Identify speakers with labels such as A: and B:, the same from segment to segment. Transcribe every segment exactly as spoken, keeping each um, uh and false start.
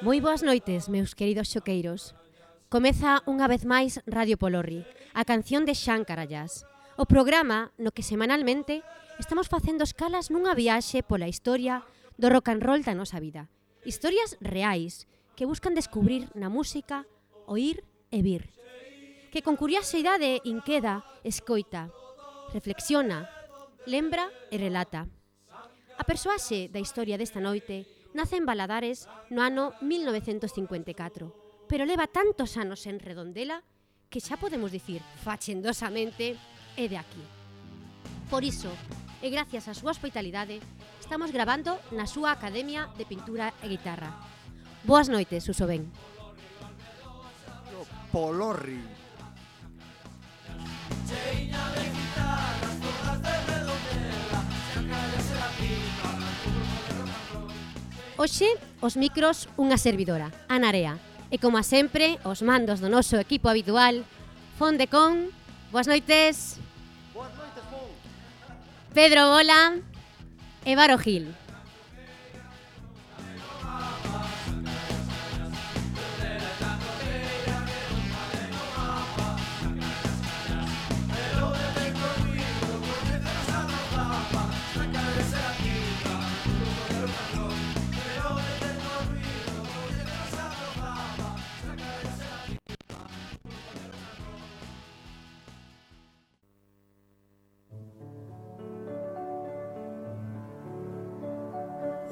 A: Moi boas noites, meus queridos xoqueiros. Comeza unha vez máis Radio Polorri, a canción de Xan Carallás. O programa no que semanalmente estamos facendo escalas nunha viaxe pola historia do rock and roll da nosa vida. Historias reais que buscan descubrir na música, oír e vir. Que con curiosidade inqueda, escoita, reflexiona, lembra e relata. A persoaxe da historia desta noite nace en Valadares no ano mil novecentos cincuenta e catro, pero leva tantos anos en Redondela que xa podemos dicir fachendosamente é de aquí. Por iso, e gracias á súa hospitalidade, estamos grabando na súa Academia de Pintura e Guitarra. Boas noites, Suso Ben.
B: Polorri.
A: Hoxe, os micros, unha servidora, Ana Area. E como a sempre, os mandos do noso equipo habitual, Fon de Con, boas noites.
B: Boas noites, Fon.
A: Pedro Bola e Varo Gil.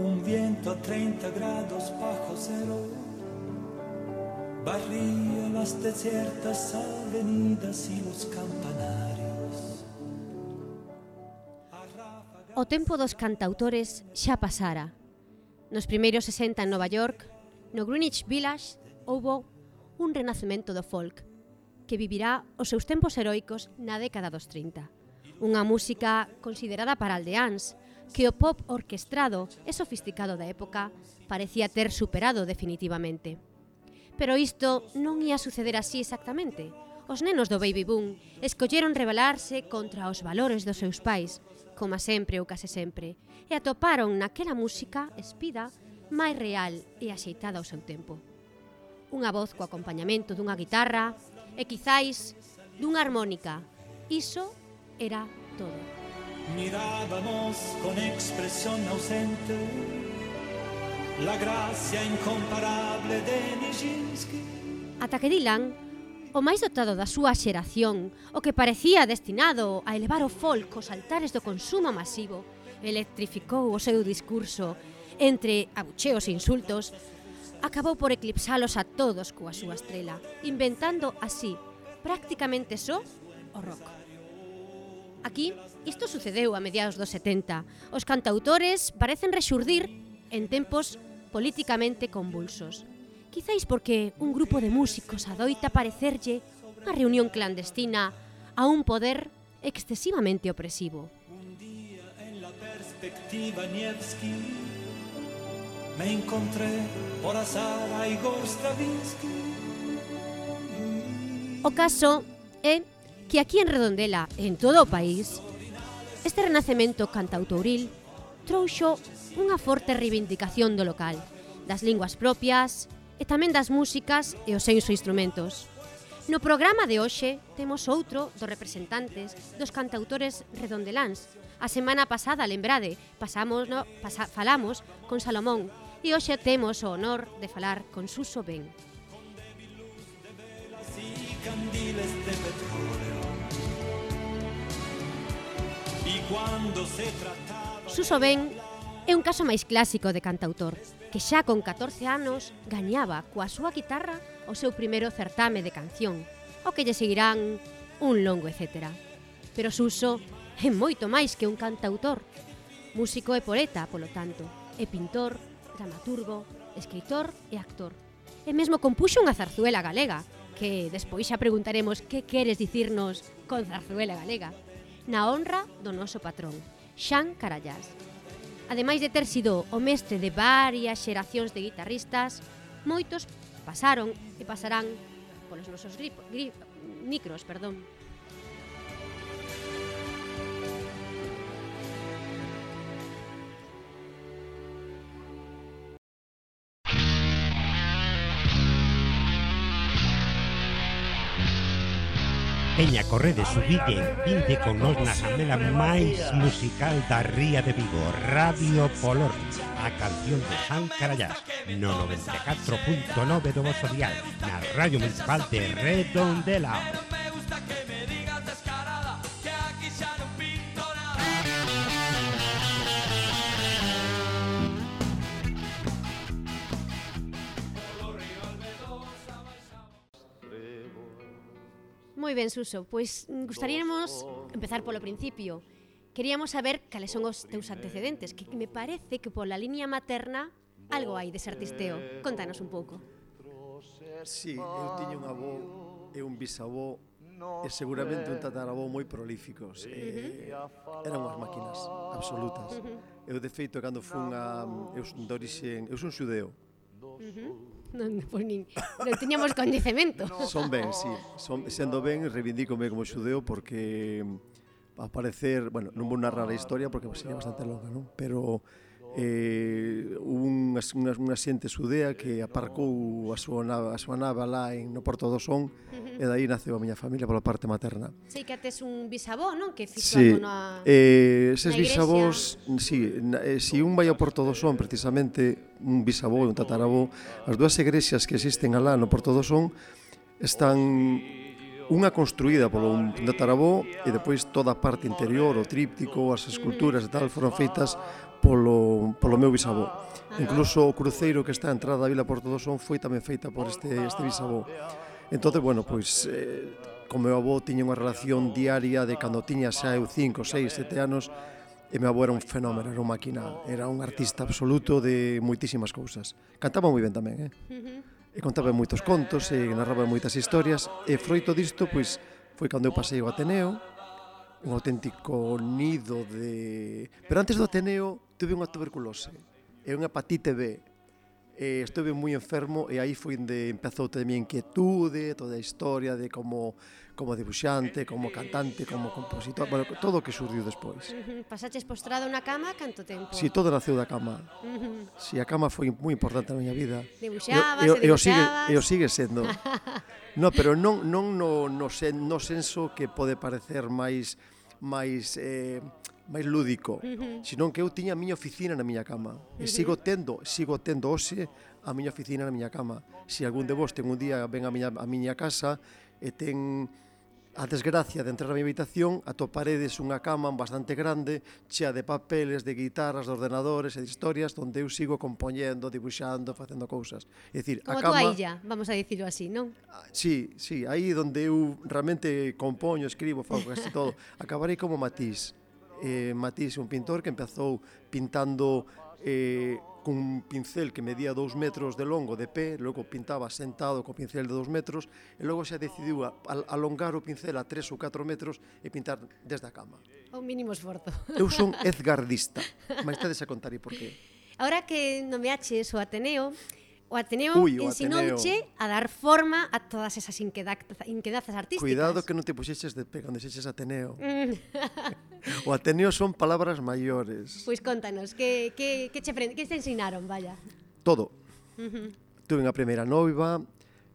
C: Un viento a treinta grados bajo cero barría las desiertas avenidas y los campanarios.
A: O tempo dos cantautores xa pasara. Nos primeiros sesenta en Nova York, no Greenwich Village, houbo un renacemento do folk que vivirá os seus tempos heroicos na década dos trinta. Unha música considerada para aldeáns, que o pop orquestrado e sofisticado da época parecía ter superado definitivamente. Pero isto non ia suceder así exactamente. Os nenos do baby boom escolleron rebelarse contra os valores dos seus pais, como sempre ou case sempre, e atoparon naquela música espida máis real e axeitada ao seu tempo. Unha voz co acompañamento dunha guitarra e quizáis dunha armónica. Iso era todo.
C: Mirábamos con expresión ausente la gracia incomparable de Nijinsky.
A: Ata que Dylan, o máis dotado da súa xeración, o que parecía destinado a elevar o folk aos altares do consumo masivo, electrificou o seu discurso entre abucheos e insultos, acabou por eclipsalos a todos coa súa estrela, inventando así, prácticamente só, o rock. Aquí, isto sucedeu a mediados dos setenta. Os cantautores parecen rexurdir en tempos políticamente convulsos. Quizáis porque un grupo de músicos adoita parecerlle unha reunión clandestina a un poder excesivamente opresivo.
C: Un día en la perspectiva Nevsky me encontré por azar a Igor Stravinsky.
A: O caso é que aquí en Redondela, en todo o país, este renacemento cantautoril trouxo unha forte reivindicación do local, das linguas propias e tamén das músicas e os seus instrumentos. No programa de hoxe temos outro dos representantes dos cantautores redondeláns. A semana pasada, lembrade, pasamos, no, pasa, falamos con Salomón e hoxe temos o honor de falar con Suso Ben. Suso Ben é un caso máis clásico de cantautor, que xa con catorce anos gañaba coa súa guitarra o seu primeiro certame de canción, o que lle seguirán un longo etcétera. Pero Suso é moito máis que un cantautor. Músico e poeta, polo tanto, é pintor, dramaturgo, escritor e actor. E mesmo compuxo unha zarzuela galega, que despois xa preguntaremos que queres dicirnos con zarzuela galega, na honra do noso patrón, Xan Carallás. Ademais de ter sido o mestre de varias xeracións de guitarristas, moitos pasaron e pasarán polos nosos grip, grip, micros, perdón.
D: Veña, correde, subide, vinte con nos na samela máis musical da Ría de Vigo, Radio Polorri, a canción de San Carallás, no noventa e catro punto nove do vosso dial, na Radio Municipal de Redondela.
A: Moi ben, Suso, pois gustaríamos empezar polo principio. Queríamos saber cales son os teus antecedentes, que me parece que pola liña materna algo hai dese artisteo. Contanos un pouco.
B: Sí, eu tiña un avó e un bisavó e seguramente un tataravó moi prolíficos. E eran unhas máquinas absolutas. Eu, de feito, cando fun a... Eu son de orixen... Eu son xudeo.
A: Non, pois nin, non tiñamos coñecemento.
B: Son ben, sí. Son, sendo ben, reivindícome como xudeo porque a parecer, bueno, non vou narrar a historia porque sería bastante longa, non? Pero eh, unha, unha, unha xente xudea que aparcou a súa nave, a súa nave lá en, no Porto do Son, uh-huh. e daí naceu a miña familia pola parte materna.
A: Sei que tes un bisavó, non? Que fixo
B: sí,
A: algo na,
B: eh, eses
A: na
B: bisavós, sí, na, eh, si un vai ao Porto do Son, precisamente, un bisavó e un tataravó, as dúas igrexas que existen alá no Porto do Son están unha construída polo un tataravó e depois toda a parte interior, o tríptico, as esculturas e tal, foron feitas polo, polo meu bisavó. Incluso o cruceiro que está a entrada da Vila Porto do Son foi tamén feita por este, este bisavó. Entón, bueno, pois, eh, con meu avó tiña unha relación diaria de cando tiña xa eu cinco, seis, sete anos, e meu avó era un fenómeno, era unha máquina, era un artista absoluto de moitísimas cousas. Cantaba moi ben tamén, eh? E contaba moitos contos, e narraba moitas historias, e froito disto, pois, foi cando eu pasei o Ateneo, un auténtico nido de... Pero antes do Ateneo, tuve unha tuberculose, e unha hepatite B, e estuve moi enfermo, e aí foi onde empezou toda a miña inquietude, toda a historia de como, como dibuixante, como cantante, como compositor, bueno, todo o que surdiu despois.
A: Uh-huh. Pasaches postrado na cama canto tempo?
B: Si, sí, todo naceu da cama.
A: Uh-huh.
B: Si, sí, a cama foi moi importante na miña vida.
A: Dibuixabas,
B: e, e,
A: e dibuixabas.
B: E o sigue sendo. No, pero non, non no, no, sen, no senso que pode parecer máis máis eh, máis lúdico, uh-huh. senón que eu tiña a miña oficina na miña cama. Uh-huh. E sigo tendo, sigo tendo hoxe a miña oficina na miña cama. Se algún de vos ten un día ven a miña, a miña casa e ten a desgracia de entrar na miña habitación, atoparedes unha cama bastante grande, chea de papeles, de guitarras, de ordenadores e de historias, onde eu sigo compoñendo, dibuixando, facendo cousas. É dicir,
A: como
B: a cama...
A: Como a tua illa, vamos a dicirlo así, non?
B: Sí, sí, aí onde eu realmente compoño, escribo, fago casi todo. Acabarei como Matisse. Eh, Matisse, un pintor que empezou pintando eh, cun pincel que medía dous metros de longo de pé, logo pintaba sentado co pincel de dous metros, e logo xa decidiu a, a, alongar o pincel a tres ou catro metros e pintar desde a cama.
A: O mínimo esforzo.
B: Eu son edgardista, mas tedes a contar e por qué.
A: Ahora que nomeaches o Ateneo, o Ateneo
B: Uy, o
A: ensinouche a dar forma a todas esas inquedazas artísticas.
B: Cuidado que non te puxeches de pé cando dixeches Ateneo. O Ateneo son palabras maiores.
A: Pois contanos, que, que, que, che, que te ensinaron, vaya?
B: Todo.
A: Uh-huh.
B: Tuve a primeira noiva,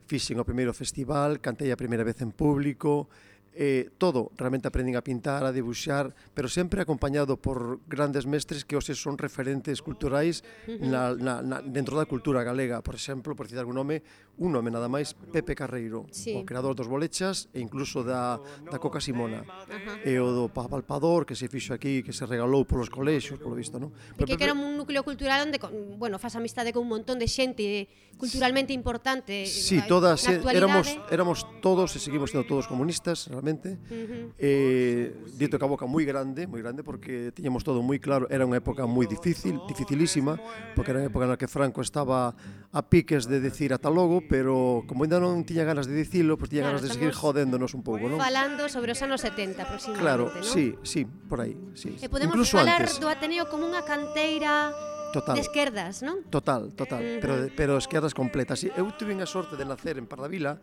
B: fixen o primeiro festival, cantei a primeira vez en público, eh, todo, realmente aprendín a pintar, a dibuixar, pero sempre acompañado por grandes mestres que hoxe son referentes culturais uh-huh. na, na, na, dentro da cultura galega. Por exemplo, por citar algún nome, un nome nada máis, Pepe Carreiro, sí. o creador dos bolechas e incluso da, da Coca Simona. Uh-huh. E o do Papalpador, que se fixo aquí, que se regalou polos colexios, polo visto, non?
A: E que, que era un núcleo cultural onde, bueno, faz amistade con un montón de xente culturalmente importante.
B: Sí, todas, éramos, éramos todos, e seguimos sendo todos comunistas, realmente. Uh-huh. eh, dito que a boca moi grande, moi grande, porque tiñamos todo moi claro, era unha época moi difícil, dificilísima, porque era unha época na que Franco estaba a piques de decir ata logo, pero como ainda non tiña ganas de dicilo, pois tiña
A: claro,
B: ganas de seguir jodéndonos un pouco, non?
A: Falando sobre os anos setenta aproximadamente,
B: claro,
A: non?
B: sí, sí, por aí, sí.
A: E podemos
B: incluso
A: falar
B: antes.
A: Do Ateneo como unha canteira total. De esquerdas, non?
B: Total, total, uh-huh. pero, pero esquerdas completas. Eu tuve a sorte de nacer en Pardavila,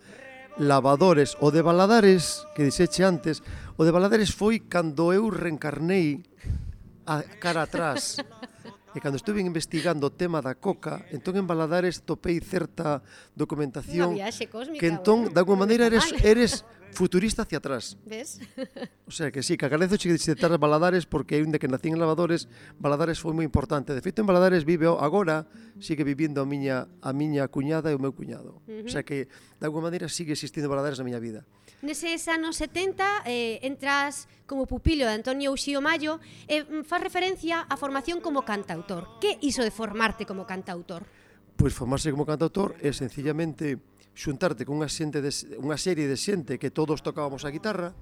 B: Lavadores, o de Valadares, que dixeche antes, o de Valadares foi cando eu reencarnei a cara atrás. E cando estuve investigando o tema da coca, entón en Valadares topei certa documentación
A: unha viaxe cósmica,
B: que entón,
A: bueno,
B: de alguma maneira, eres, eres futurista hacia atrás.
A: Ves?
B: O sea que sí, que agradezo che de citar Valadares porque onde que nacín en Lavadores, Valadares foi moi importante. De feito, en Valadares vive agora, sigue vivindo a miña a miña cuñada e o meu cuñado. Uh -huh. O sea que, de alguma maneira, sigue existindo Valadares na miña vida.
A: Neses anos setenta eh, entras como pupilo de Antonio Uxío Mallo e eh, faz referencia á formación como cantautor. Que iso de formarte como cantautor?
B: Pois formarse como cantautor é sencillamente xuntarte con unha xente de, unha serie de xente que todos tocábamos a guitarra,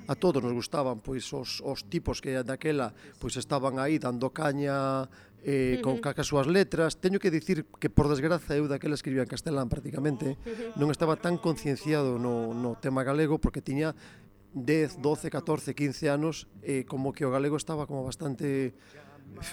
B: a todos nos gustaban pois os, os tipos que daquela pois estaban aí dando caña eh, con uh -huh. as súas letras. Teño que dicir que por desgraza eu daquela escribía en castelán prácticamente, uh -huh. non estaba tan concienciado no, no tema galego porque tiña dez, doce, catorce, quince anos e eh, como que o galego estaba como bastante,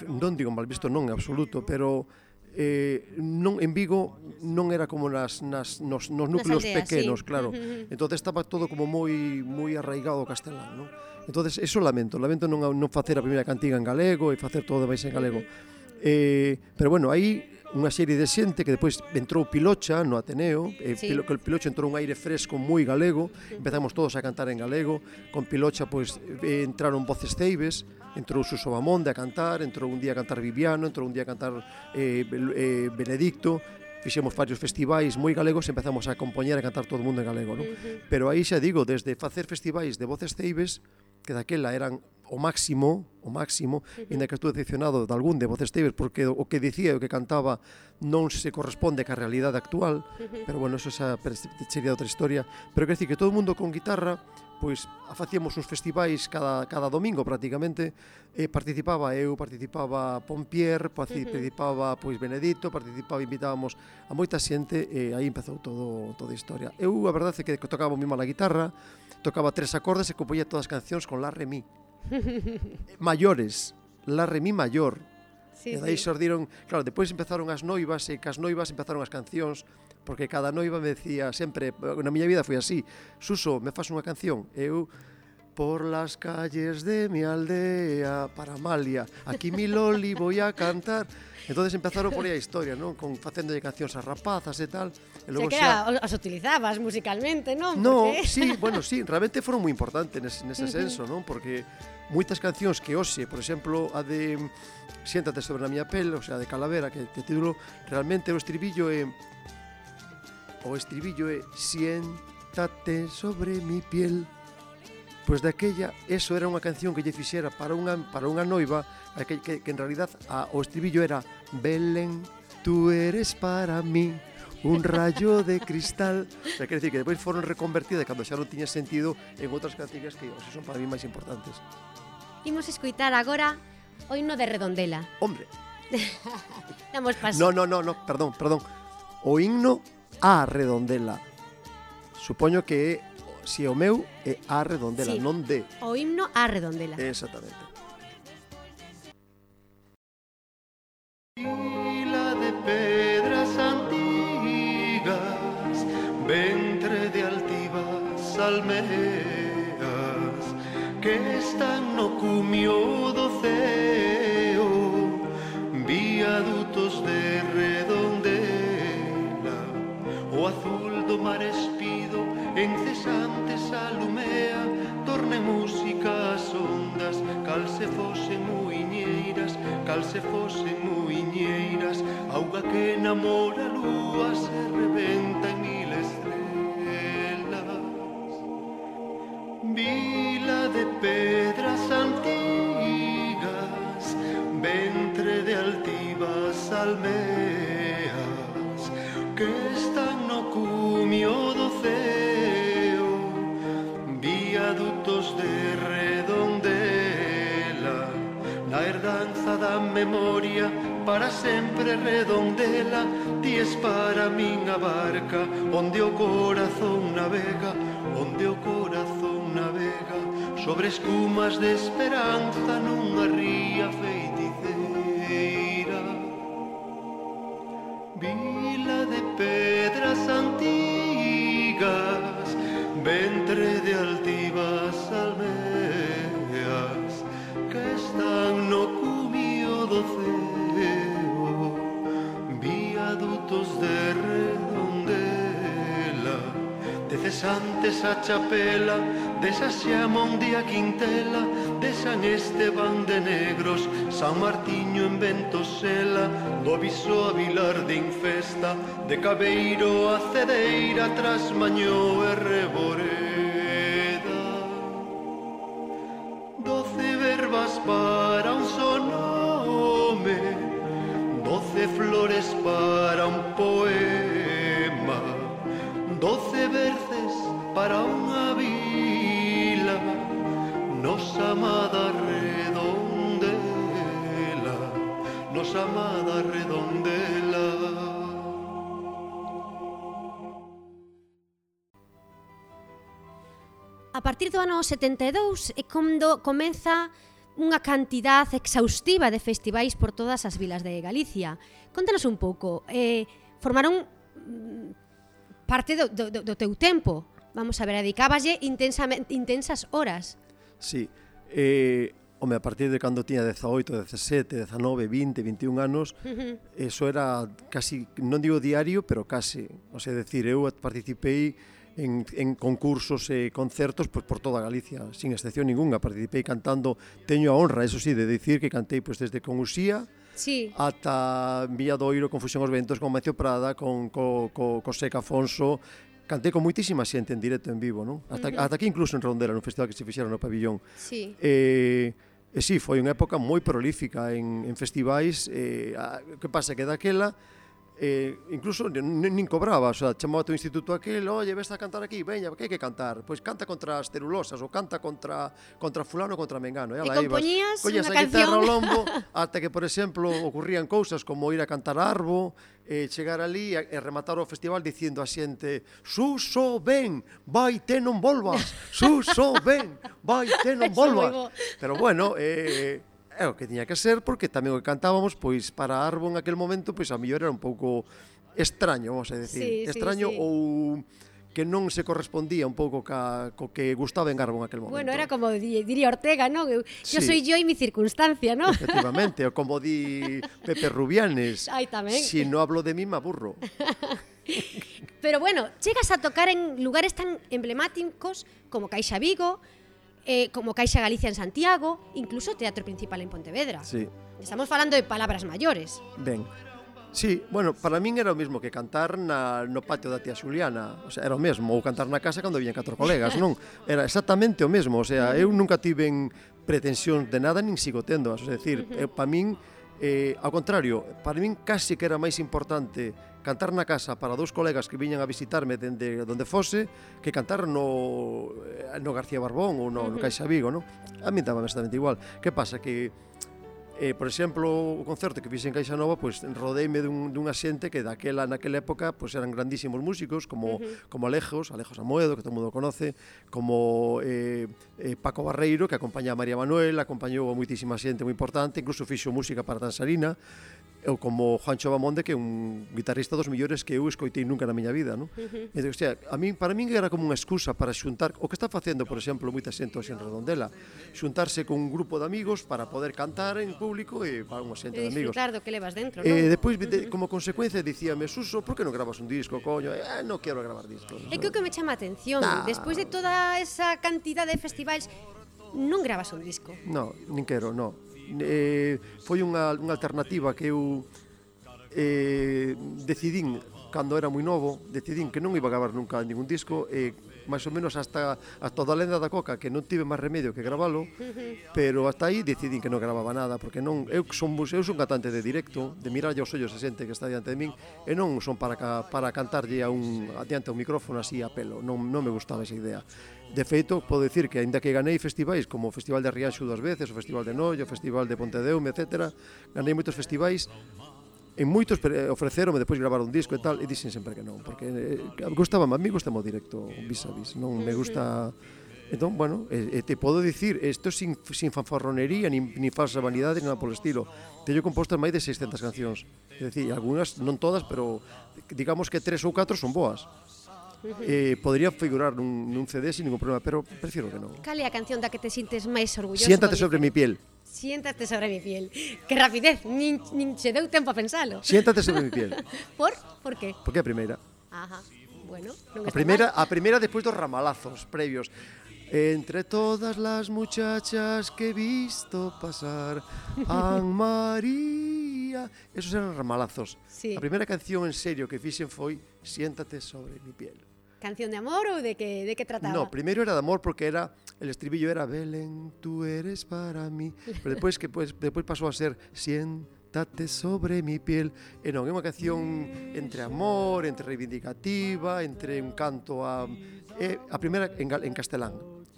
B: non digo mal visto, non en absoluto, pero Eh, non, en Vigo non era como nas, nas, nos, nos núcleos aldeas, pequenos, sí. Claro. Uh-huh. Entonces estaba todo como moi moi arraigado ao castelán, non? Entonces eso lamento, lamento non, non facer a primeira cantiga en galego e facer todo máis en galego. Uh-huh. eh, pero bueno, aí unha serie de xente que depois entrou Pilocha no Ateneo, e sí. Pilo, que el Pilocha entrou un aire fresco moi galego, empezamos todos a cantar en galego, con Pilocha pois eh, entraron voces ceibes, entrou Suso Bamonde a cantar, entrou un día a cantar Viviano, entrou un día a cantar eh, eh, Benedicto, fixemos varios festivais moi galegos e empezamos a compoñer e a cantar todo o mundo en galego, non? Uh-huh. Pero aí xa digo, desde facer festivais de voces ceibes, que daquela eran o máximo, o máximo, uh-huh. Inda que estou decepcionado de algún de voces ceibes, porque o que dicía e o que cantaba non se corresponde ca realidade actual, uh-huh. Pero bueno, eso xa sería outra historia. Pero quer decir que todo o mundo con guitarra, pois facíamos uns festivais cada, cada domingo prácticamente, e participaba eu, participaba Pompier, participaba pois Benedito, participaba, invitábamos a moita xente e aí empezou todo, toda a historia. Eu a verdade é que tocaba moi mal a guitarra, tocaba tres acordes e compoñía todas as cancións con la, re, mi. Maiores, la, re, mi maior. Sí, e daí sí. Xordiron, claro, depois empezaron as noivas e cas noivas empezaron as cancións, porque cada noiva me decía sempre, na miña vida foi así, Suso, me faz unha canción, eu por las calles de mi aldea para Amalia, aquí mi Loli voy a cantar. Entonces empezaron por aí a historia, non? Con facéndolle cancións a rapazas e tal. E
A: logo o sea, que era, xa... os utilizabas musicalmente, non?
B: No, porque... sí, bueno, sí, realmente foron moi importantes nese, nese senso, non? Porque moitas cancións que hoxe, por exemplo, a de Siéntate sobre a miña pel, o sea, de Calavera, que te título, realmente o estribillo é o estribillo é Siéntate sobre mi piel. Pois daquella, eso era unha canción que lle fixera para unha, para unha noiva, que, que, que en realidad a, o estribillo era Belén, tú eres para mí un rayo de cristal. O sea, quer decir que depois foron reconvertidas cando xa non tiña sentido en outras cantigas que hoxe son para mí máis importantes.
A: Imos escoitar agora o himno de Redondela.
B: Hombre.
A: Damos paso.
B: No, no, no, no, perdón, perdón. O himno a Redondela. Supoño que si é o meu é a Redondela, sí, non de.
A: O himno a Redondela.
B: Exactamente. Vila de pedras antigas, ventre de altivas almeas, que están no cumio do ceo, viadutos de Redondela, o azul do mar espido incesante salumea, torne música as ondas, cal se fosen muiñeiras, cal se fosen muiñeiras, auga que namora a lúa se rebenta en mil estrelas. Vila de pedras antigas, ventre de altivas almeas, que están no cumio do ceo, viadutos de Redondela, na herdanza da memoria, para sempre Redondela, ti es para min a barca, onde o corazón navega, onde o corazón navega, sobre escumas de esperanza nunha ría feiticeira. Vila de pedras antigas, ventre de altivas almeas, que están no cumio do ceo, viadutos de Redondela, teces Santes a chapela, de Saxamón de a Quintela, de San Esteban de Negros, San Martiño en Ventosela, do Viso a Vilar de Infesta, de Cabeiro a Cedeira, Trasmañó e Reboreda. Doce verbas para un só nome, doce flores para un poema, doce verces para unha vila, nosa amada Redondela, nosa amada Redondela.
A: A partir do ano setenta e dous é cando comeza unha cantidad exhaustiva de festivais por todas as vilas de Galicia. Contanos un pouco, eh, formaron parte do, do, do teu tempo, vamos a ver, dedicábaslle intensas horas.
B: Sí, eh, home, a partir de cando tiña dezaoito, dezasete, dezanove, vinte, vinte e un anos, uh-huh. Eso era casi, non digo diario, pero casi. O sea, decir, eu participei en, en concursos e concertos pues, por toda Galicia, sin excepción ninguna. Participei cantando, teño a honra, eso sí, de decir que cantei pues, desde con Uxía, sí, ata Villadoiro, con Fusión aos Ventos, con Macio Prada, con co, co, co Seca Afonso. Cantei con moitísima xente en directo, en vivo, non? Ata, uh-huh. ata aquí incluso en Redondela, no festival que se fixeron no pabillón.
A: Sí.
B: E, e sí, foi unha época moi prolífica en, en festivais. E, a, que pasa que daquela eh, incluso nin cobraba, o sea, chamaba o instituto aquel, oye, ves a cantar aquí, veña, que hai que cantar? Pois canta contra as celulosas, ou canta contra contra fulano, contra mengano.
A: E, e compoñías unha canción.
B: Collas a guitarra ao lombo, ata que, por exemplo, ocurrían cousas como ir a cantar a Arbo, e chegar ali e rematar o festival dicindo a xente: Suso, ven, vai, te non volvas, Suso, ven, vai, te non volvas. Pero bueno, eh, é o que tiña que ser, porque tamén o que cantábamos, pois para Arbo en aquel momento, pois a mellor era un pouco extraño, vamos a decir, sí, extraño sí, sí. ou que non se correspondía un pouco ca, co que gustaba en Garbo en aquel momento.
A: Bueno, era como di, diría Ortega, ¿no? Yo sí. soy yo y mi circunstancia, ¿no?
B: Efectivamente, o como di Pepe Rubianes.
A: Ay, tamén.
B: Si no hablo de mí, me aburro.
A: Pero bueno, chegas a tocar en lugares tan emblemáticos como Caixa Vigo, eh, como Caixa Galicia en Santiago, incluso Teatro Principal en Pontevedra.
B: Sí.
A: Estamos falando de palabras mayores.
B: Ben. Sí, bueno, para min era o mesmo que cantar na, no patio da tía Xuliana, o sea, era o mesmo, ou cantar na casa cando viñan catro colegas, non? Era exactamente o mesmo, o sea, eu nunca tiven pretensións de nada, nin sigo tendo, o sea, decir, eu, para min, eh, ao contrario, para min casi que era máis importante cantar na casa para dous colegas que viñan a visitarme dende onde fose, que cantar no, no García Barbón ou no, no Caixa Vigo, non? A min daba exactamente igual. Que pasa? Que Eh, por exemplo, o concerto que fixe en Caixa Nova, pois pues, rodeime dun, dunha xente que daquela, naquela época, pois pues, eran grandísimos músicos, como, uh-huh. como Alejos, Alejos Amoedo, que todo mundo conoce, como eh, eh, Paco Barreiro, que acompaña a María Manuel, acompañou a moitísima xente moi importante, incluso fixo música para Tansarina, ou como Juancho Bamonde, que é un guitarrista dos millores que eu escoitei nunca na miña vida, non? Uh-huh. E, o sea, a min, para min era como unha excusa para xuntar, o que está facendo, por exemplo, moita xente hoxe en Redondela, xuntarse con un grupo de amigos para poder cantar en público e para unha xente de amigos.
A: E disfrutar do que levas dentro,
B: non? E depois,
A: uh-huh.
B: como consecuencia, dicíame, Suso, por que non grabas un disco, coño? Eh, non quero gravar discos.
A: É que o que me chama a atención, nah. despois de toda esa cantidad de festivais, non grabas un disco.
B: Non, nin quero, non. Eh, foi unha, unha alternativa que eu eh, decidín cando era moi novo, decidín que non iba a gravar nunca ningún disco e máis ou menos hasta, hasta a lenda da coca, que non tive máis remedio que gravalo, pero hasta aí decidín que non gravaba nada, porque non, eu son, eu son cantante de directo, de mirarlle aos ollos a xente que está diante de min, e non son para, para cantarlle a un, adiante a un micrófono así a pelo, non, non me gustaba esa idea. De feito, podo dicir que, aínda que ganei festivais como o Festival de Rianxo dúas veces, o Festival de Noio, o Festival de Pontedeume, etcétera, ganei moitos festivais, en moitos ofreceronme depois gravar un disco e tal, e dixen sempre que non, porque eh, gustaba, a mí gustame o directo vis a vis, non me gusta. Entón, bueno, e, e te podo dicir, isto sin, sin fanfarronería, nin, nin falsa vanidade, nada polo estilo. Teño compostas máis de seiscentas cancións, é dicir, algunhas, non todas, pero digamos que tres ou catro son boas. Eh, podría figurar nun, nun C D sin ningún problema, pero prefiero que non.
A: Cal é a canción da que te sintes máis orgulloso?
B: Siéntate sobre mi piel.
A: Siéntate sobre mi piel. Que rapidez, nin, nin se deu tempo a pensalo.
B: Siéntate sobre mi piel.
A: Por? Por qué?
B: Porque é a primeira.
A: Ajá. Bueno, non
B: A
A: está
B: primeira,
A: mal.
B: a primeira despois dos ramalazos previos. Entre todas las muchachas que he visto pasar, An María. Esos eran ramalazos.
A: Sí.
B: A primeira canción en serio que fixen foi Siéntate sobre mi piel.
A: Canción de amor ou de que, de que trataba?
B: No, primeiro era de amor porque era el estribillo era Belén, tú eres para mí. Pero despois que pues, despois pasou a ser Siéntate sobre mi piel. E non, é unha canción entre amor, entre reivindicativa, entre un canto a é a primeira en, gal, en castelán.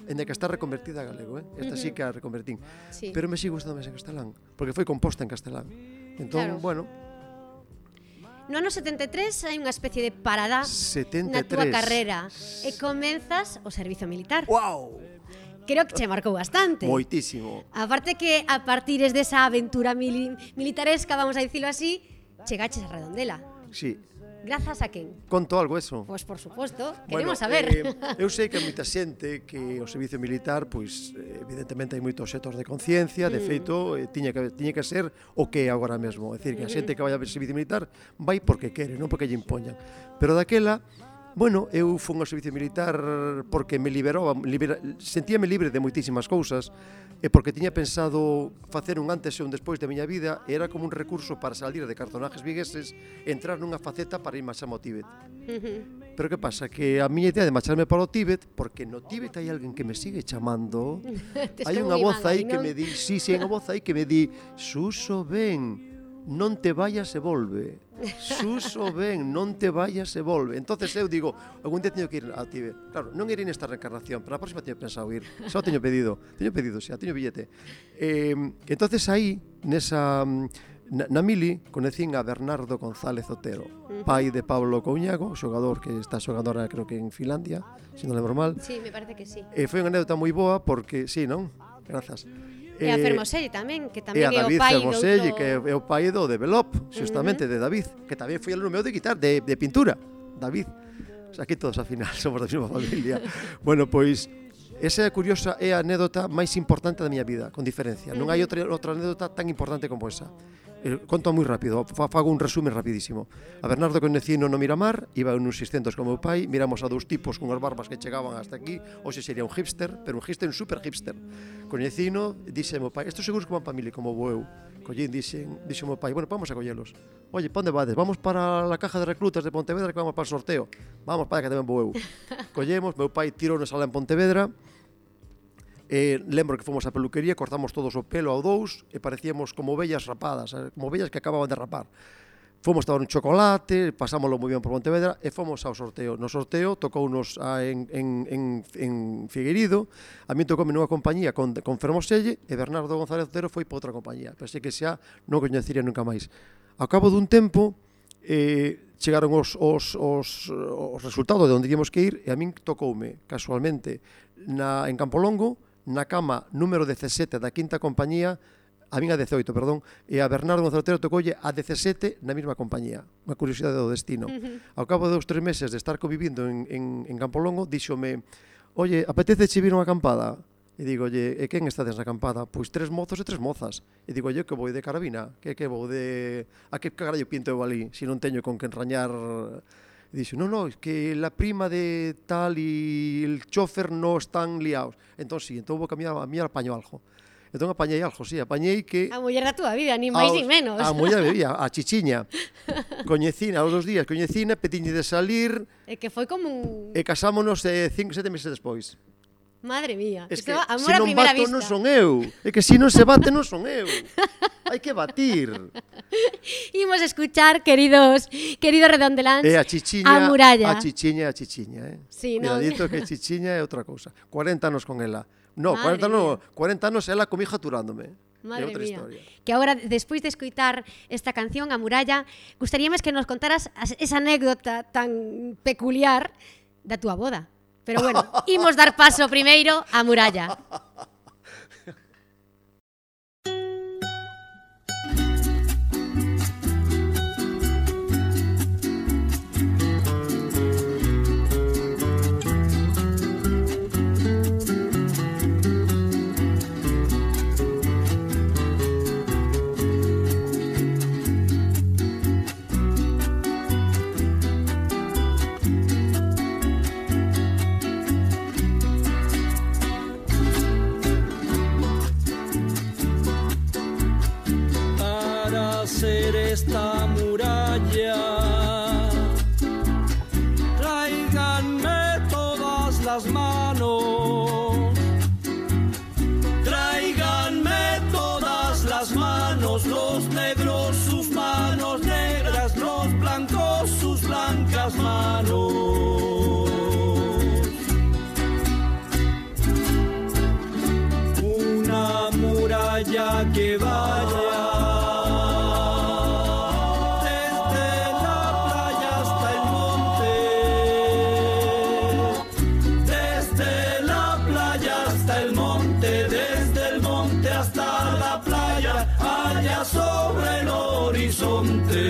B: En que está reconvertida a galego, eh? Esta sí que a reconvertín.
A: Sí.
B: Pero me sigo gustando máis en castelán, porque foi composta en castelán. Entón,
A: Claro.
B: bueno,
A: No ano setenta e tres hai unha especie de parada
B: setenta e
A: na túa
B: tres.
A: carreira e comenzas o servizo militar.
B: Wow!
A: Creo que che marcou bastante.
B: Moitísimo.
A: Aparte que a partir desa aventura mili militaresca, vamos a dicilo así, chegaches a Redondela.
B: Sí.
A: Grazas a quen?
B: Conto algo eso.
A: Pois por suposto,
B: Bueno,
A: queremos saber.
B: eh, eu sei que hai moita xente que o servicio militar, pois eh, evidentemente hai moitos xetos de conciencia, de feito, eh, tiña que tiña que ser o que é agora mesmo, é dicir, que a xente que vai ao servicio militar vai porque quere, non porque lle impoñan. Pero daquela, bueno, eu fun ao servicio militar porque me liberou, libera, sentíame libre de moitísimas cousas, e porque tiña pensado facer un antes e un despois da miña vida, e era como un recurso para salir de cartonajes vigueses e entrar nunha faceta para ir máis ao Tíbet. Pero que pasa? Que a miña idea de marcharme para o Tíbet, porque no Tíbet hai alguén que me sigue chamando, hai unha voz aí que me di, sí, sí, hai unha voz aí que me di, Suso, ven, non te vayas e volve. Suso, ven, non te vayas e volve. Entonces eu digo, algún día teño que ir ao Tíbet. Claro, non irei nesta reencarnación, pero a próxima teño pensado ir. Xa o teño pedido, teño pedido, xa, teño billete. Eh, entonces aí, nesa na, na mili, conecín a Bernardo González Otero, pai de Pablo Couñago, xogador que está xogando ahora creo que en Finlandia, se non lembro mal.
A: Sí, me parece que sí.
B: E foi unha anécdota moi boa porque, sí, non? Grazas.
A: E a Fermoselle tamén, que
B: E
A: tamén
B: a
A: é o
B: David
A: pai
B: Fermoselle,
A: doutro...
B: que é o pai do Develop, justamente, de David, que tamén foi alumno meu de guitarra, de, de pintura, David. O sea, aquí todos, ao final, somos da mesma familia. Bueno, pois, esa é curiosa, é a anécdota máis importante da miña vida, con diferencia. Non hai outra, outra anécdota tan importante como esa. Eh, conto moi rápido, fago un resumen rapidísimo. A Bernardo conecino no Miramar, iba en uns seiscentos como meu pai, miramos a dous tipos con as barbas que chegaban hasta aquí, hoxe sería un hipster, pero un hipster, un super hipster. Conecino, dixe meu pai, estos seguros que van para mili como vou eu. Collín, dixen, dixo meu pai, bueno, vamos a collelos. Oye, pa onde vades? Vamos para la caja de reclutas de Pontevedra que vamos para o sorteo. Vamos para que tamén vou eu. Collemos, meu pai tirou nos alá en Pontevedra. Eh, lembro que fomos á peluquería, cortamos todos o pelo ao dous e parecíamos como ovellas rapadas, como ovellas que acababan de rapar. Fomos tomar un chocolate, pasámoslo moi ben por Pontevedra e fomos ao sorteo. No sorteo tocounos a, en, en, en, en Figueirido, a mí tocoume nunha compañía con, con Fermoselle e Bernardo González Otero foi para outra compañía. Pensei que xa non coñecería nunca máis. Ao cabo dun tempo, eh, chegaron os, os, os, os resultados de onde íamos que ir e a min tocoume, casualmente, na, en Campolongo, na cama número dezasete da quinta compañía, a min a dezoito, perdón, e a Bernardo González Otero tocoulle a dezasete na mesma compañía. Unha curiosidade do destino. Uh-huh. Ao cabo de dous, tres meses de estar convivindo en, en, en Campolongo, díxome, oye, apetece che vir unha acampada? E digo, oye, e quen estades na acampada? Pois tres mozos e tres mozas. E digo, oye, que vou de carabina? Que que vou de... A que carallo pinto eu ali, se non teño con que enrañar... E dixo, no, no, es que la prima de tal y el chofer no están liados. Entón, sí, entón vou caminar, a mí apaño algo. Entón apañei algo, sí, apañei que...
A: A muller da túa vida, ni máis ni menos.
B: A muller bebía, a chichiña. Coñecina, aos dos días, coñecina, petiñe de salir...
A: E que foi como un...
B: E casámonos eh, cinco, sete meses despois.
A: Madre mía,
B: es
A: isto
B: que
A: amor
B: se
A: a
B: non
A: primeira
B: bato
A: vista.
B: non son eu. É que se non se bate non son eu. Hai que batir.
A: Imos escuchar, queridos, queridos redondeláns,
B: E a chichiña,
A: a muralla.
B: a chichiña, a chichiña, eh.
A: Sí, non.
B: Cuidadito que chichiña é outra cousa. cuarenta anos con ela. No,
A: Madre
B: cuarenta no, cuarenta anos ela comigo aturándome.
A: Madre
B: é outra
A: mía.
B: historia.
A: Que agora, despois de escoitar esta canción, A Muralla, gustaríame que nos contaras as- esa anécdota tan peculiar da túa boda. Pero bueno, imos dar paso primeiro á Muralla.
C: la muralla. Tráiganme todas las manos, tráiganme todas las manos, los negros sus manos negras, los blancos sus blancas manos. Una muralla que vaya desde la playa hasta el monte, desde la playa hasta el monte, desde el monte hasta la playa, allá sobre el horizonte.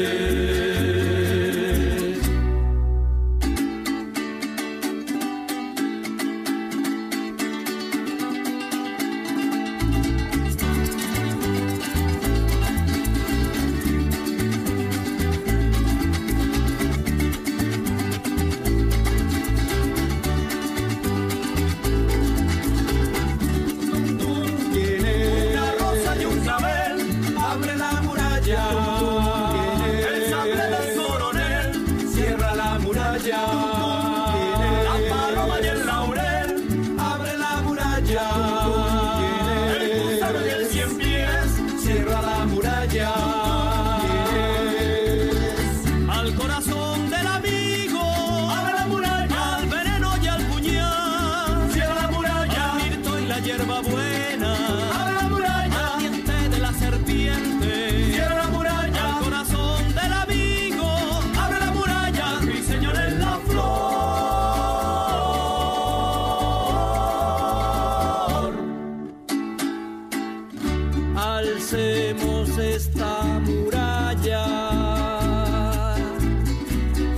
C: Alcemos esta muralla,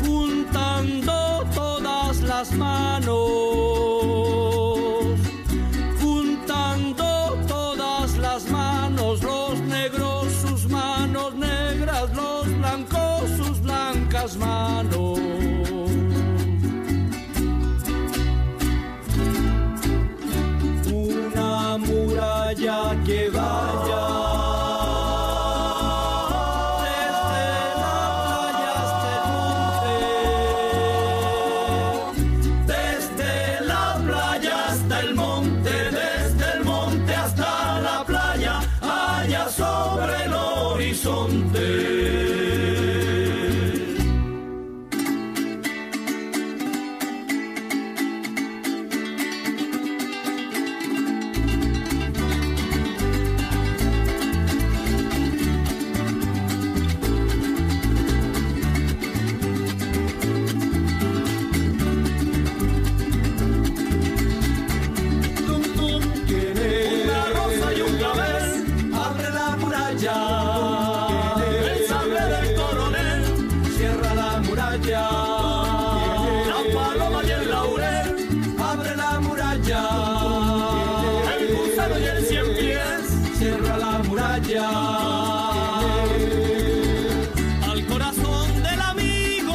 C: juntando todas las manos, juntando todas las manos, los negros sus manos negras, los blancos sus blancas manos. Una muralla que vaya sobre el horizonte. Al corazón del amigo,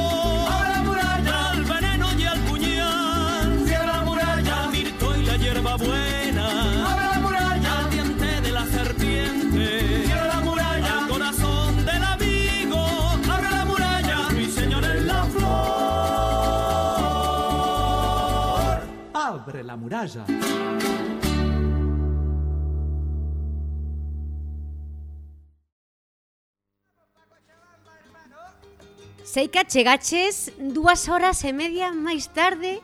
C: abre la muralla, al veneno y al puñal, cierra la muralla, al mirto y la hierba buena, abre la muralla, al diente de la serpiente, cierra la muralla, al corazón del amigo, abre la muralla, mi señor en la flor, abre la muralla.
A: Sei que chegaches dúas horas e media máis tarde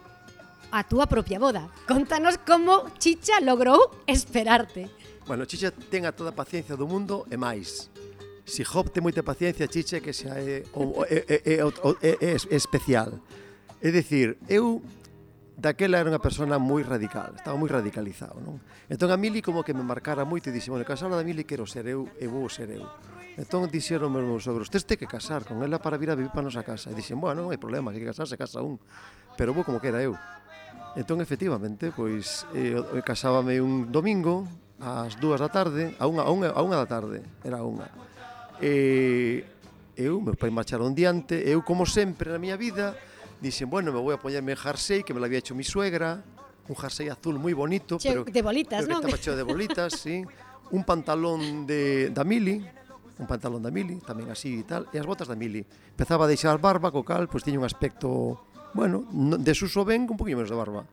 A: a túa propia boda. Contanos como Chicha logrou esperarte.
B: Bueno, Chicha ten a toda a paciencia do mundo e máis. Si Job ten moita paciencia, Chicha que xa é, o, é, é, é, é, é, é especial. É dicir, eu daquela era unha persona moi radical, estaba moi radicalizado, non? Entón a Mili como que me marcara moito e dixe, bueno, casar da Mili quero ser eu e vou ser eu. Entón dixeron meus meus sogros, tes que casar con ela para vir a vivir para a nosa casa. E dixen, bueno, non hai problema, que casarse casa un, pero vou como que era eu. Entón, efectivamente, pois, eh, casábame un domingo ás dúas da tarde, a unha, a unha, a unha da tarde, era unha. E eu, meus pais marcharon diante, eu, como sempre na miña vida, dixen, bueno, me vou a poñerme jersey, que me lo había hecho mi suegra, un jersey azul moi bonito,
A: che,
B: pero
A: de bolitas,
B: pero
A: non?
B: Que estaba cheo de bolitas, sí. Un pantalón de da Mili, un pantalón da mili, tamén así e tal, e as botas da mili. Empezaba a deixar barba, co cal, pois tiña un aspecto, bueno, desuso ben, un poquinho menos de barba,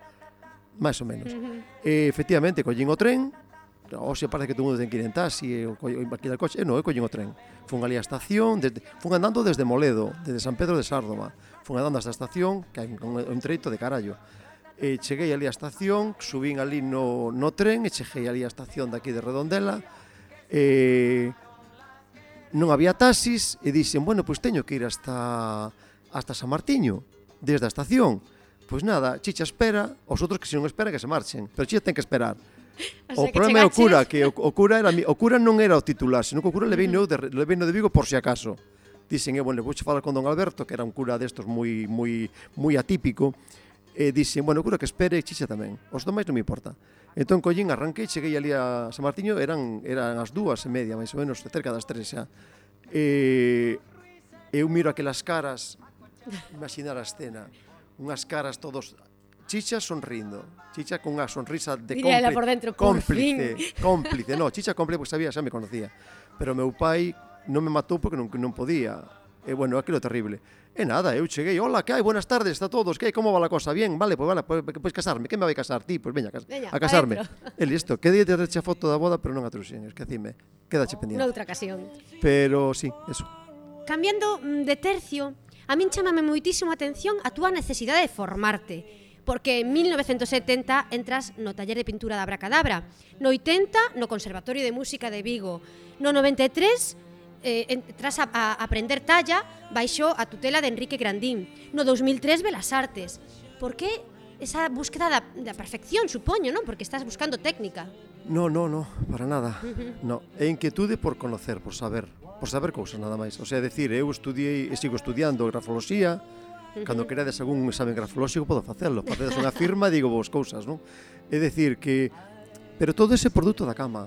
B: máis ou menos. E, efectivamente, collín o tren, hoxe parece que todo mundo ten que ir en taxi, e aquí da coche, e non, eu collín o tren. Fun ali á estación, desde, fun andando desde Moledo, desde San Pedro de Sárdoma, fun andando hasta a estación, que hai un, un treito de carallo. E cheguei ali á estación, subín ali no, no tren, e cheguei ali á estación daqui de Redondela, e non había taxis, e dixen, bueno, pois teño que ir hasta, hasta San Martiño, desde a estación. Pois nada, Chicha espera, os outros que se non esperan que se marchen, pero Chicha ten que esperar. O, o problema é o cura, que o, o cura era o cura non era o titular, senón que o cura leveino de, leveino de Vigo por si acaso. Dixen, e, bueno, vouche falar con don Alberto, que era un cura destos moi moi moi atípico, e dixen, bueno, o cura que espere, Chicha tamén. Os demais non me importa. Entón collín, arranquei, cheguei ali a San Martiño, eran eran as dúas e media, máis ou menos, cerca das tres xa. E eu miro aquelas caras, imaginar a escena, unhas caras todos Chicha sonrindo, Chicha con unha sonrisa de
A: cómplice, por dentro, por
B: cómplice, fin. cómplice, no, Chicha cómplice, porque sabía, xa me conocía, pero meu pai non me matou porque non, non podía, e bueno, aquilo terrible. E nada, eu cheguei, hola, que hai, buenas tardes a todos, que hai, como va la cosa, bien, vale, pois pues, vale, pois pues, pues, casarme, que me vai casar, ti, pois pues, veña, veña, a casarme. E listo, que día te reche a foto da boda, pero non a truxen, esquecime, quedache pendiente.
A: Noutra ocasión.
B: Pero sí, eso.
A: Cambiando de tercio, a min chamame moitísimo a atención a túa necesidade de formarte, porque en mil novecentos setenta entras no taller de pintura da Abracadabra, no oitenta no Conservatorio de Música de Vigo, no noventa e tres eh, entras a, a aprender talla baixo a tutela de Enrique Grandín, no dos mil tres Belas Artes. Por que esa búsqueda da, da perfección, supoño, non? Porque estás buscando técnica.
B: No, no, no, para nada. No, é inquietude por conocer, por saber, por saber cousas nada máis. O sea, decir, eu estudiei e sigo estudiando grafoloxía. Cando queredes algún examen grafolóxico podo facelo, facedes unha firma, digo vos cousas, non? É dicir que, pero todo ese produto da cama.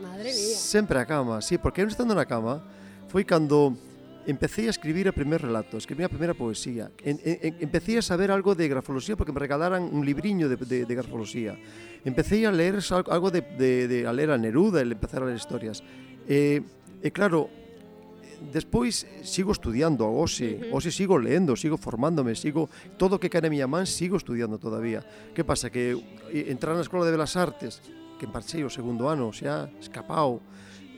A: Madre mía.
B: Sempre a cama, sí, porque eu estando na cama foi cando empecé a escribir o primer relato, escribí a primeira poesía. En, en, empecé a saber algo de grafoloxía porque me regalaran un libriño de, de, de grafoloxía. Empecé a leer algo de, de, de a ler a Neruda e empezar a ler historias. E, e claro, despois sigo estudiando a hoxe, uh -huh. hoxe sigo leendo, sigo formándome, sigo todo o que cae na miña man, sigo estudiando todavía. Que pasa? Que entrar na Escola de Belas Artes, que marchei o segundo ano, xa escapao,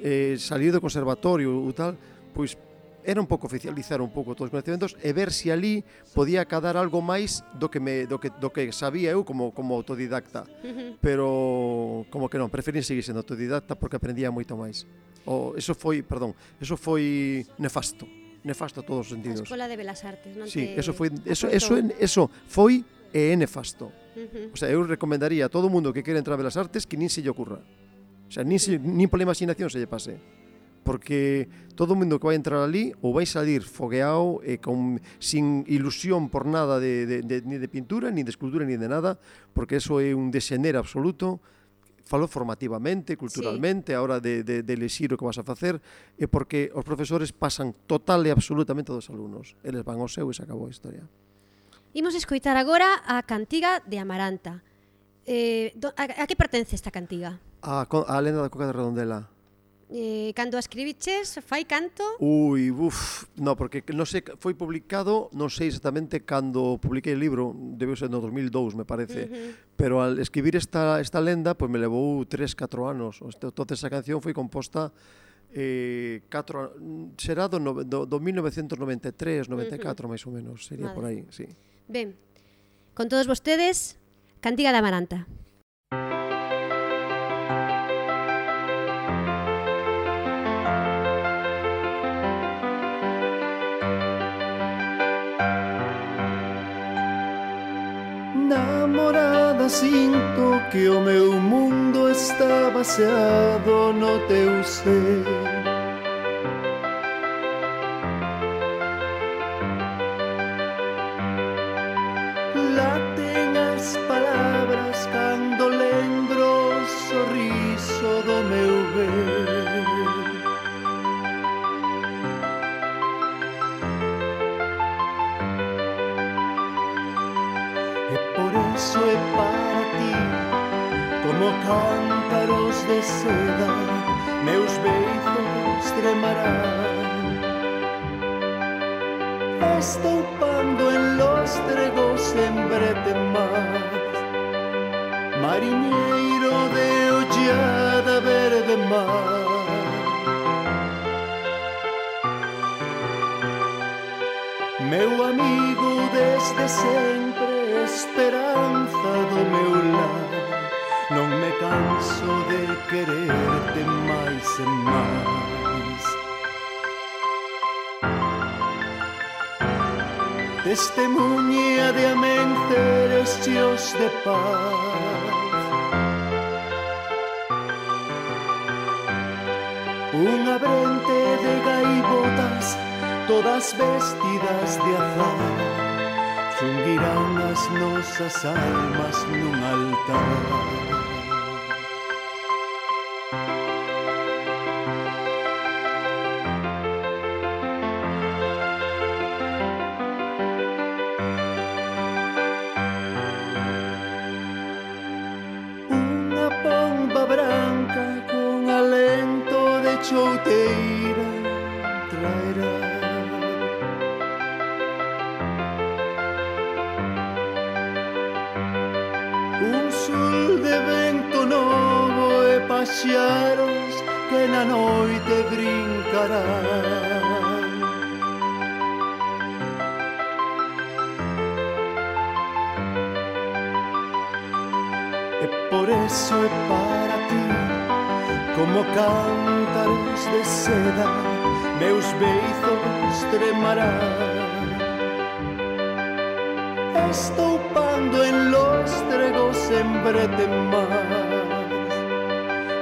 B: eh, salir do conservatorio ou tal, pois era un pouco oficializar un pouco todos os conhecimentos e ver se ali podía cadar algo máis do que me do que do que sabía eu como como autodidacta. Uh -huh. Pero como que non, preferín seguir sendo autodidacta porque aprendía moito máis. O eso foi, perdón, eso foi nefasto, nefasto a todos os sentidos.
A: A Escola de Belas Artes, non
B: sí,
A: te
B: eso foi eso eso eso foi e é nefasto. Uh -huh. O sea, eu recomendaría a todo mundo que quere entrar a Belas Artes que nin se lle ocurra. O sea, nin, se, nin pola imaginación se lle pase. Porque todo o mundo que vai entrar ali ou vai salir fogueado e con, sin ilusión por nada de, de, de, ni de pintura, ni de escultura, ni de nada, porque eso é un desenero absoluto. Falo formativamente, culturalmente, sí. A hora de, de, de elexir o que vas a facer, e porque os profesores pasan total e absolutamente dos alumnos. Eles van ao seu e se acabou a historia.
A: Imos escoitar agora a cantiga de Amaranta. Eh, do, a, a que pertence esta cantiga?
B: A, a lenda da Coca de Redondela.
A: Eh, cando a escribiches, fai canto?
B: Ui, uf, no, porque non sei, foi publicado, non sei exactamente cando publiquei o libro, debeu ser no dos mil dous, me parece, uh -huh. pero al escribir esta, esta lenda, pois pues me levou tres, catro anos. Entonces esa canción foi composta eh, catro, será do, do, do mil novecentos noventa e tres, noventa e catro, uh -huh. máis ou menos, sería vale. Por aí, sí.
A: Ben, con todos vostedes, cantiga de Amaranta.
E: Namorada, sinto que o meu mundo está baseado no teu ser. Laten as palabras cando lembro o sorriso do meu ver. Eso é para ti, como cántaros de seda, meus beizos tremarán, estampando en los tregos en brete más, mariñeiro de ollada verde mar. Meu amigo desde sempre, esperanza do meu lar, non me canso de quererte máis e máis. Testemunha de amenceres cheos de paz, unha brente de gaivotas todas vestidas de azar, xunguirán as nosas almas nun altar. Unha pomba branca con alento de chouteira traerá un sul de vento novo e paxaros que na noite brincarán. E por eso é para ti como cántaros de seda, meus beizos tremarán, estoupando en los tregos en brete más,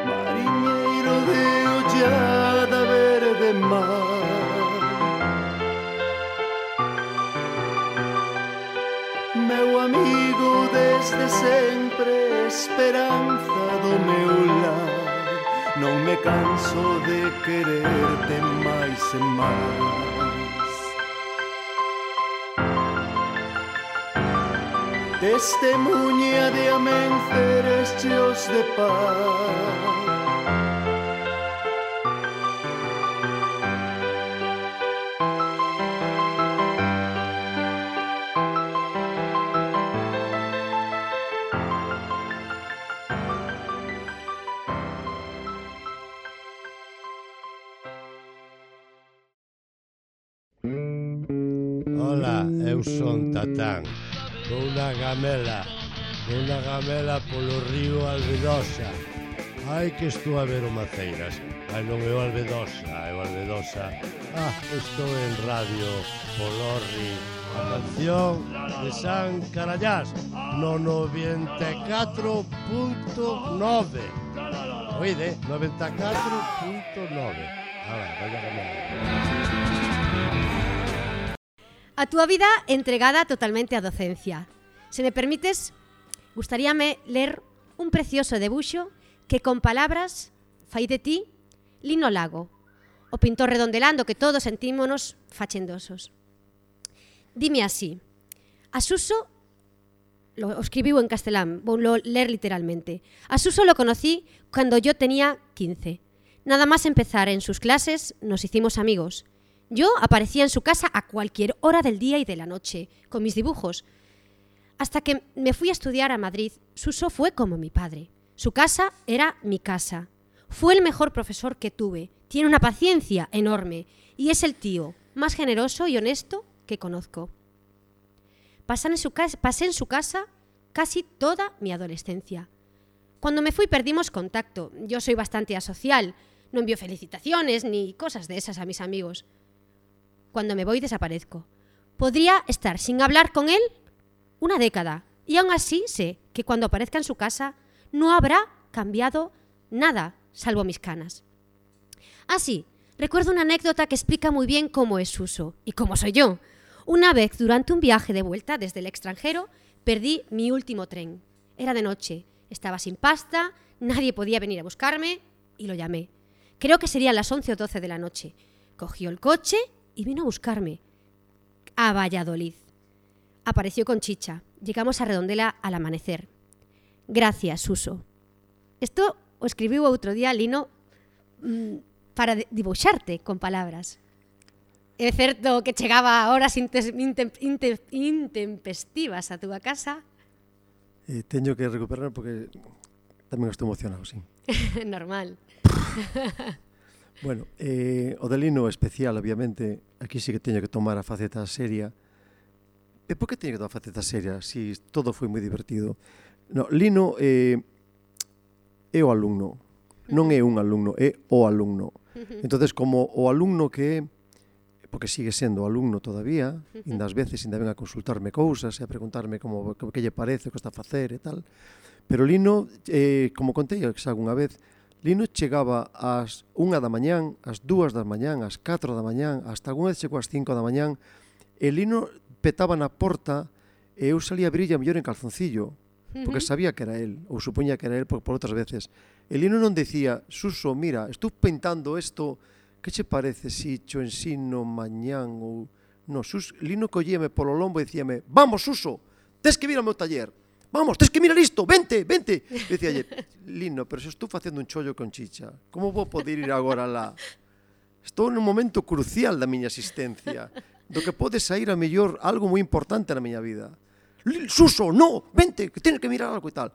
E: mariñeiro de ollada verde mar. Meu amigo desde sempre, esperanza do meu lar, non me canso de quererte máis e máis. Testemunha de amenceres cheos de paz,
D: Hola, eu son Tatán. Unha gamela, unha gamela polo río Albedosa. Ai que estou a ver o Maceiras. Ai non é o Albedosa, é o Albedosa. Ah, estou en Radio Polorri, a canción de San Carallás, no noventa e catro punto nove. Oide, noventa e catro punto nove. Ahora, vaya gamela.
A: A túa vida entregada totalmente á docencia. Se me permites, gustaríame ler un precioso debuxo que con palabras fai de ti Lino Lago, o pintor redondelando que todos sentímonos fachendosos. Dime así: a Suso, lo escribiu en castelán, vou ler literalmente. A Suso lo conocí cuando yo tenía quince. Nada más empezar en sus clases nos hicimos amigos. Yo aparecía en su casa a cualquier hora del día y de la noche, con mis dibujos. Hasta que me fui a estudiar a Madrid, Suso fue como mi padre. Su casa era mi casa. Fue el mejor profesor que tuve. Tiene una paciencia enorme y es el tío más generoso y honesto que conozco. Pasé en su casa, pasé en su casa casi toda mi adolescencia. Cuando me fui perdimos contacto. Yo soy bastante asocial. No envío felicitaciones ni cosas de esas a mis amigos. Cuando me voy desaparezco. Podría estar sin hablar con él una década y aún así sé que cuando aparezca en su casa no habrá cambiado nada, salvo mis canas. Así, recuerdo una anécdota que explica muy bien cómo es Suso y cómo soy yo. Una vez, durante un viaje de vuelta desde el extranjero, perdí mi último tren. Era de noche, estaba sin pasta, nadie podía venir a buscarme y lo llamé. Creo que serían las once o doce de la noche. Cogió el coche y vino a buscarme a Valladolid. Apareció con Chicha. Llegamos a Redondela al amanecer. Gracias, Suso. Esto o escribiu outro día Lino mmm, para dibuixarte con palabras. É certo que chegaba a horas intes, intem, intem, intempestivas a túa casa.
B: Eh, teño que recuperar porque tamén estou emocionado, sí.
A: Normal.
B: Bueno, eh, o de Lino especial, obviamente, aquí sí que teño que tomar a faceta seria. E por que teño que tomar a faceta seria? Si todo foi moi divertido. No, Lino eh, é o alumno, non é un alumno, é o alumno. Entonces, como o alumno que é, porque sigue sendo alumno todavía, ainda ás veces ainda ven a consultarme cousas e a preguntarme como que lle parece o que está a facer e tal. Pero Lino, eh, como contei xa algunha vez, Lino chegaba ás unha da mañán, ás dúas da mañán, ás catro da mañán, hasta algunha vez chegou ás cinco da mañán, e Lino petaba na porta e eu salía a brilla mellor en calzoncillo, porque sabía que era él, ou supoñía que era él por, por outras veces. E Lino non decía, Suso, mira, estou pintando isto, que che parece si cho ensino mañán ou... No, Sus... Lino collíame polo lombo e dicíame, vamos, Suso, tes que vir ao meu taller, vamos, tes que mirar isto, vente, vente. E dicíalle, Lino, pero se estou facendo un chollo con chicha, como vou poder ir agora lá? Estou nun momento crucial da miña existencia, do que pode sair a mellor algo moi importante na miña vida. Suso, no, vente, que tens que mirar algo e tal.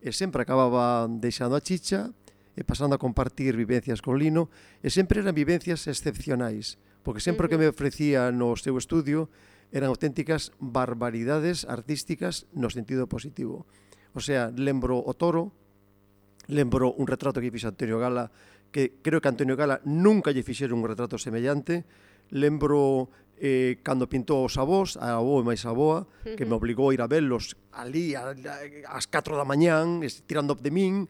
B: E sempre acababa deixando a chicha e pasando a compartir vivencias con Lino, e sempre eran vivencias excepcionais, porque sempre que me ofrecía no seu estudio eran auténticas barbaridades artísticas no sentido positivo. O sea, lembro o Toro, lembro un retrato que fixe Antonio Gala, que creo que Antonio Gala nunca lle fixeron un retrato semellante, lembro eh, cando pintou os avós, a avó e máis a avoa, que me obligou a ir a velos ali a, a, ás catro da mañán, tirando de min.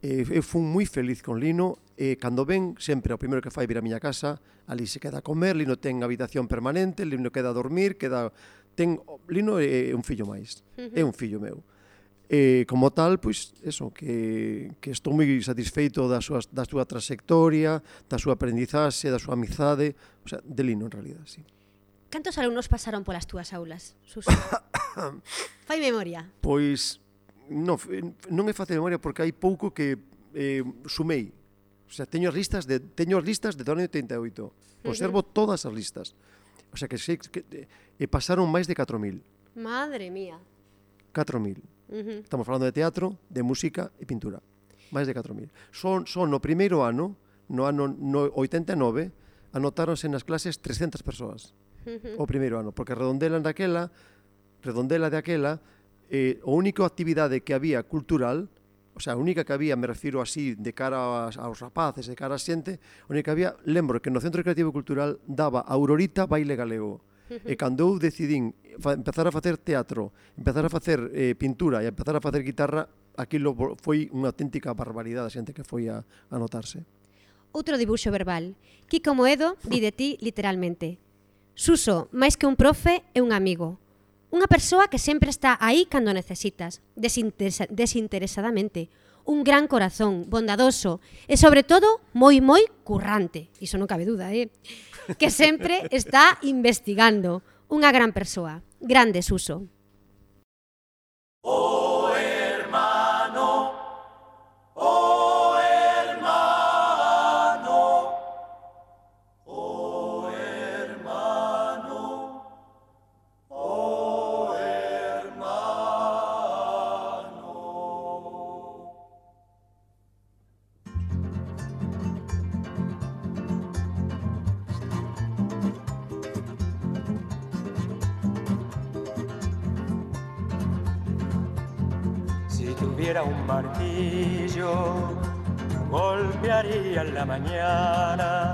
B: Eh, eu fui moi feliz con Lino, e cando ven, sempre o primeiro que fai vir a miña casa, ali se queda a comer, Lino ten habitación permanente, Lino queda a dormir, queda... Ten... Lino é un fillo máis, é un fillo meu. E, como tal, pois, eso, que, que estou moi satisfeito da súa, da súa trayectoria, da súa aprendizaxe, da súa amizade, o sea, de Lino, en realidad, sí.
A: Cantos alumnos pasaron polas túas aulas, Suso? Fai memoria.
B: Pois, non, non é fácil memoria porque hai pouco que eh, sumei. O sea, teño as listas de, teño as listas de do ano oitenta e oito. Conservo uh-huh. todas as listas. O sea, que sei que eh, pasaron máis de catro mil.
A: Madre mía.
B: catro mil.
A: Uh-huh.
B: Estamos falando de teatro, de música e pintura. Máis de catro mil. Son, son no primeiro ano, no ano no oitenta e nove, anotáronse nas clases trescentas persoas. Uh-huh. O primeiro ano, porque Redondela daquela, Redondela de aquela, eh, a única actividade que había cultural, o sea, a única que había, me refiro así, de cara aos, aos rapaces, de cara a xente, a única que había, lembro que no Centro Creativo Cultural daba Aurorita baile galego. E cando eu decidín empezar a facer teatro, empezar a facer eh, pintura e empezar a facer guitarra, aquilo foi unha auténtica barbaridade a xente que foi a, a notarse.
A: Outro dibuixo verbal. Kiko Moedo di de ti literalmente: Suso, máis que un profe, é un amigo. Unha persoa que sempre está aí cando necesitas, desinteresa desinteresadamente. Un gran corazón, bondadoso e, sobre todo, moi, moi currante. Iso non cabe duda, eh? Que sempre está investigando. Unha gran persoa. Grande, Suso.
C: Oh, hermano, oh, hermano, oh, hermano, oh, hermano. Si tuviera un martillo, golpearía en la mañana,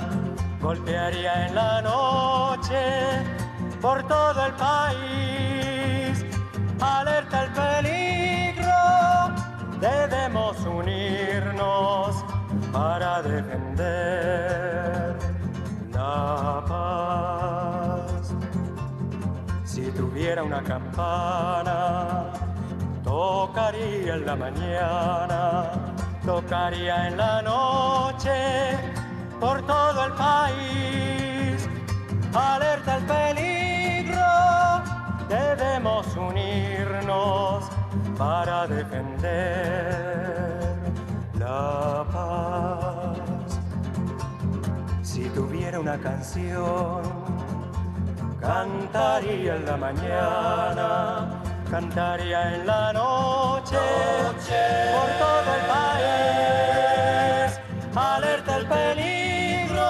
C: golpearía en la noche, por todo el país. Alerta el peligro, debemos unirnos para defender la paz. Si tuviera una campana, tocaría en la mañana, tocaría en la noche, por todo el país. Alerta el peligro, debemos unirnos para defender la paz.
F: tuviera una canción, cantaría en la mañana, cantaría en la noche, noche. Por todo el país, alerta el peligro,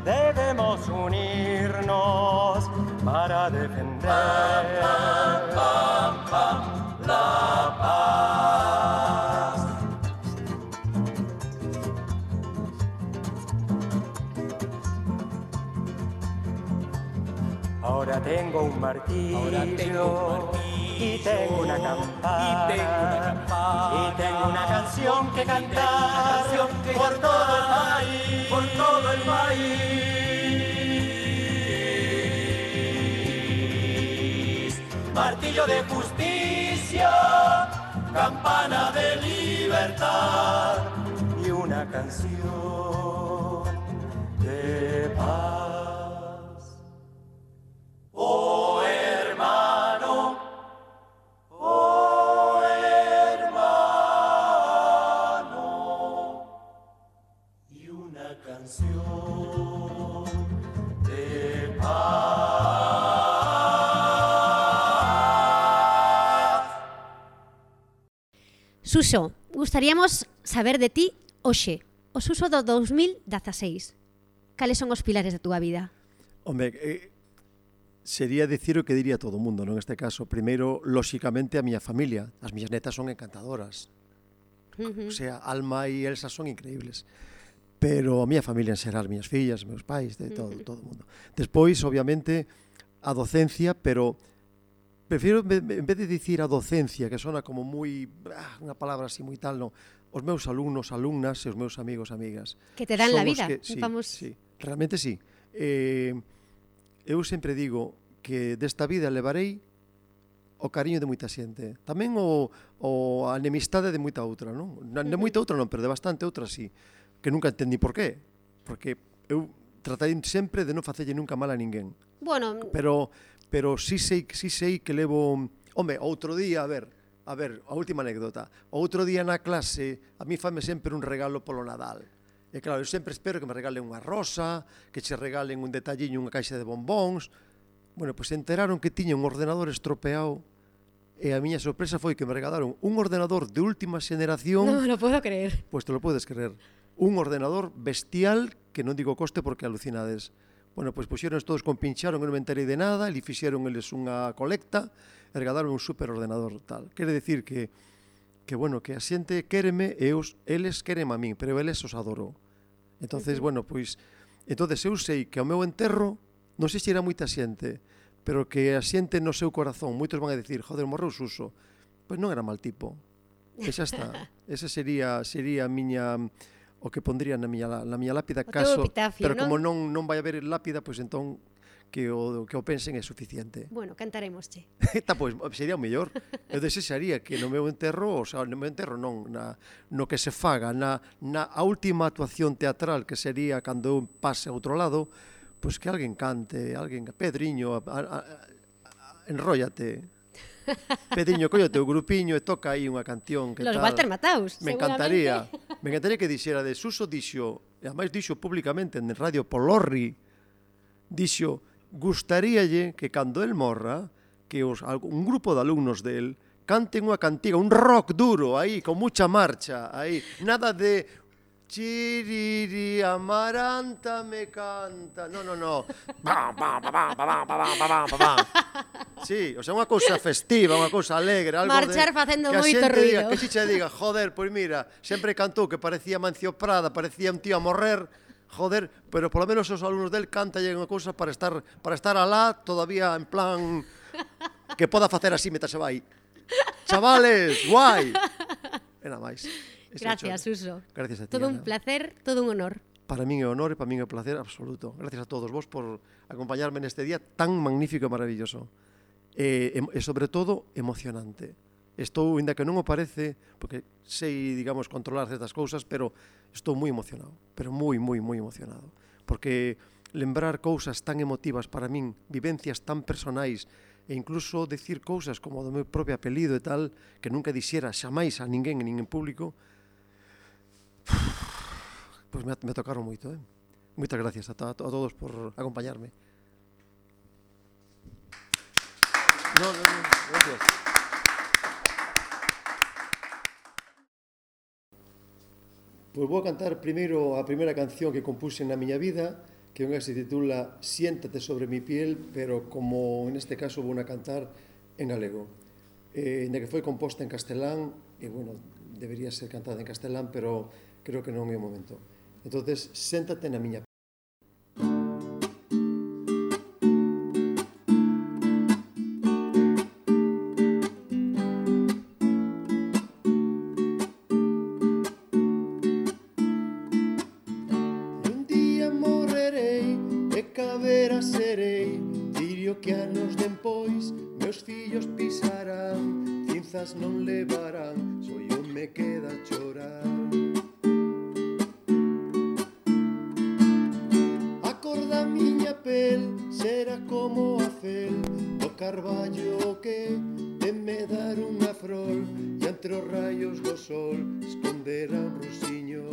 F: debemos unirnos para defender pam, pam, pam, pam, la paz. Ahora tengo un martillo, Ahora tengo un martillo y tengo una campana, y tengo una, campana, y tengo una canción que cantar canción que por cantar, todo el país, por todo el país. Martillo de justicia, campana de libertad y una canción de paz. Oh hermano, oh hermano, y una canción de paz.
A: Suso, gustaríamos saber de ti hoxe, o Suso do dos mil dieciséis. Cales son os pilares da túa vida?
B: Home, eh, sería decir o que diría todo o mundo, non? Neste caso, primeiro, lóxicamente, a miña familia. As miñas netas son encantadoras. Uh-huh. O sea, Alma e Elsa son increíbles. Pero a miña familia en xeral, as miñas fillas, meus pais, de todo, uh-huh. todo o mundo. Despois, obviamente, a docencia, pero prefiro, en vez de dicir a docencia, que sona como moi, ah, unha palabra así moi tal, non, os meus alumnos, alumnas e os meus amigos, amigas.
A: Que te dan la vida.
B: Que, sí,
A: Vamos...
B: sí, realmente sí. Eh, eu sempre digo que desta vida levarei o cariño de moita xente. Tamén o, o a enemistade de moita outra, non? De moita outra non, pero de bastante outra sí. Que nunca entendí por qué. Porque eu tratei sempre de non facerlle nunca mal a ninguén.
A: Bueno...
B: Pero, pero sí sei, sí sei que levo... Home, outro día, a ver, a ver, a última anécdota. Outro día na clase, a mí fame sempre un regalo polo Nadal. E claro, eu sempre espero que me regalen unha rosa, que che regalen un detalliño, unha caixa de bombóns. Bueno, pois se enteraron que tiña un ordenador estropeado e a miña sorpresa foi que me regalaron un ordenador de última xeneración.
A: No lo puedo creer.
B: Pois te lo podes creer. Un ordenador bestial, que non digo coste porque alucinades. Bueno, pois puxeron todos con pincharon, non me enterei de nada, e fixeron eles unha colecta e regalaron un super ordenador tal. Quere decir que que, bueno, que a xente quéreme e os, eles quéreme a min, pero eles os adorou. Entonces, uh-huh. bueno, pois, entonces eu sei que ao meu enterro, non sei se era moita xente, pero que a xente no seu corazón, moitos van a dicir, joder, morreu Suso. Pois non era mal tipo. E xa está. Ese sería sería a miña o que pondría na miña na miña lápida,
A: o
B: caso,
A: epitafio,
B: pero
A: non?
B: como non non vai haber lápida, pois entón que o que o pensen é suficiente.
A: Bueno, cantaremos, che.
B: Está, pois, sería o mellor. Eu desexaría que no meu enterro, o sea, no meu enterro non, na, no que se faga, na, na a última actuación teatral, que sería cando eu pase a outro lado, pois que alguén cante, alguén, Pedriño, a, a, a, enróllate. Pedriño, colle o teu grupiño e toca aí unha canción que
A: Los
B: tal.
A: Walter Mataus,
B: Me encantaría. Me encantaría que dixera de Suso dixo, e ademais dixo públicamente en Radio Polorri, dixo, gustaríalle que cando el morra, que os, un grupo de alumnos del canten unha cantiga, un rock duro aí, con mucha marcha, aí, nada de chiriri amaranta me canta. No, no, no. Bam, bam, bam, bam, bam, bam, bam. Sí, o sea, unha cousa festiva, unha cousa alegre, algo
A: marchar
B: de,
A: facendo
B: que
A: moito ruido.
B: Diga, que xixa diga, joder, pois mira, sempre cantou que parecía Mancio Prada, parecía un tío a morrer. Joder, pero polo menos os alumnos del cantalle unha cousa para estar para estar alá todavía en plan que poda facer así mientras se vai. Chavales, guai. E nada máis.
A: Gracias, Suso.
B: Gracias a ti.
A: Todo
B: Ana.
A: un placer, todo un honor.
B: Para min é honor e para min é un placer absoluto. Gracias a todos vos por acompañarme neste día tan magnífico e maravilloso. E, e sobre todo, emocionante. Estou, ainda que non o parece, porque sei, digamos, controlar certas cousas, pero estou moi emocionado, pero moi, moi, moi emocionado. Porque lembrar cousas tan emotivas para min, vivencias tan personais, e incluso decir cousas como do meu propio apelido e tal, que nunca dixera xamais a ninguén, nin en público, pois me, me tocaron moito, eh? Moitas gracias a, a, a todos por acompañarme. No, no, no, gracias. Pois vou cantar primeiro a primeira canción que compuse na miña vida, que unha se titula Siéntate sobre mi piel, pero como neste caso vou a cantar en galego. Eh, ainda que foi composta en castelán, e bueno, debería ser cantada en castelán, pero creo que non é o momento. Entonces, séntate na miña piel. Non levarán, só eu me queda a chorar. A cor da miña pel será como a fel do carballo que teme dar unha frol, e entre os raios do sol esconderá un rosiño.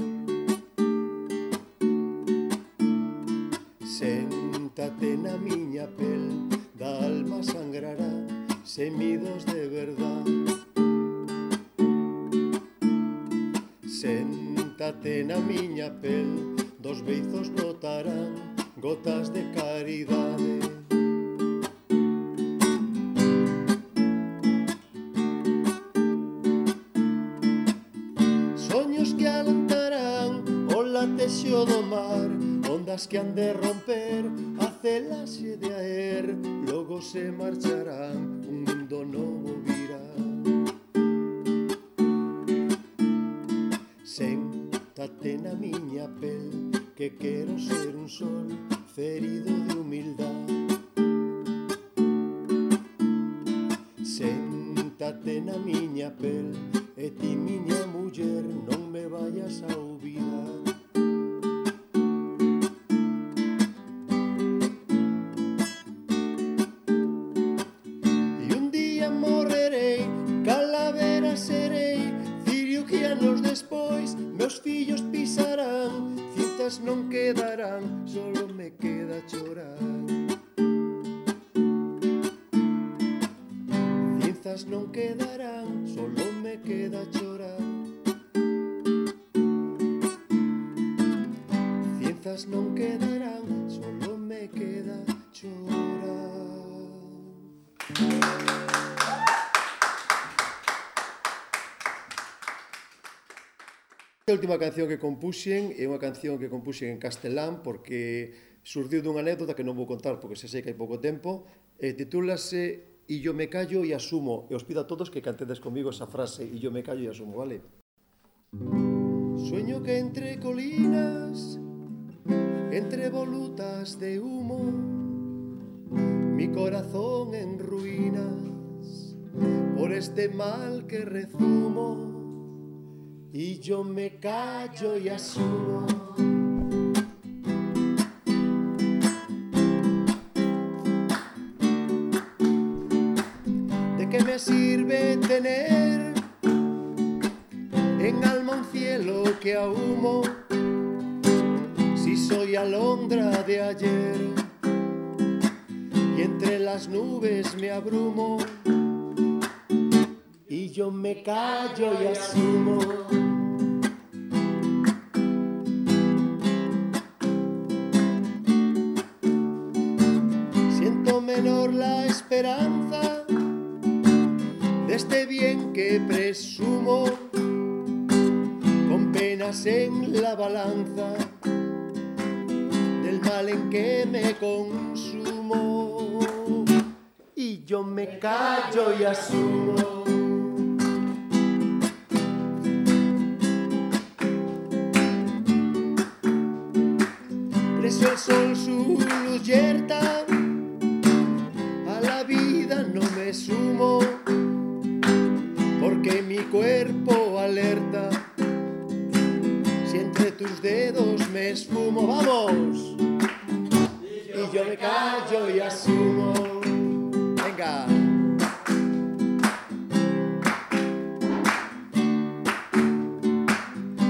B: Séntate na miña pel, da alma sangrará semidos de verdade. Séntate na miña pel, dos beizos brotarán gotas de caridade. Soños que alentarán o latexo do mar, ondas que han de romper a celaxe de aer, logo se marcharán, un mundo novo virá. Séntate na miña pel, que quero ser un sol ferido de humildade. Séntate na miña pel, e ti miña muller non me vayas a olvidar. E un día morrerei, calavera serei, cirio que anos despois meus fillos pisarán, cintas non quedarán, solo me queda chorar. Cintas non quedarán, solo me queda chorar. Cintas non quedarán, solo me queda chorar. A última canción que compuxen é unha canción que compuxen en castelán porque surdiu dunha anécdota que non vou contar porque se sei que hai pouco tempo, e titúlase E yo me callo e asumo, e os pido a todos que cantedes comigo esa frase, e yo me callo e asumo, vale? Sueño que entre colinas, entre volutas de humo, mi corazón en ruinas por este mal que rezumo, y yo me callo y asumo. ¿De qué me sirve tener en alma un cielo que ahumo si soy alondra de ayer y entre las nubes me abrumo? Y yo me callo y asumo. Siento menor la esperanza de este bien que presumo, con penas en la balanza del mal en que me consumo. Y yo me callo y asumo. Preso el sol su luz yerta, a la vida no me sumo, porque mi cuerpo alerta, si entre tus dedos me esfumo. ¡Vamos! Y yo me callo y asumo. Venga.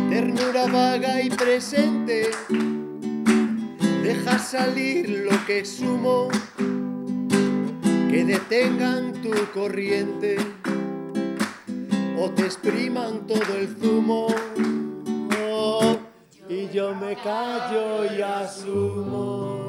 B: Ternura vaga y presente
E: salir lo que sumo, que detengan tu corriente o te expriman todo el zumo. Oh, y yo me callo y asumo.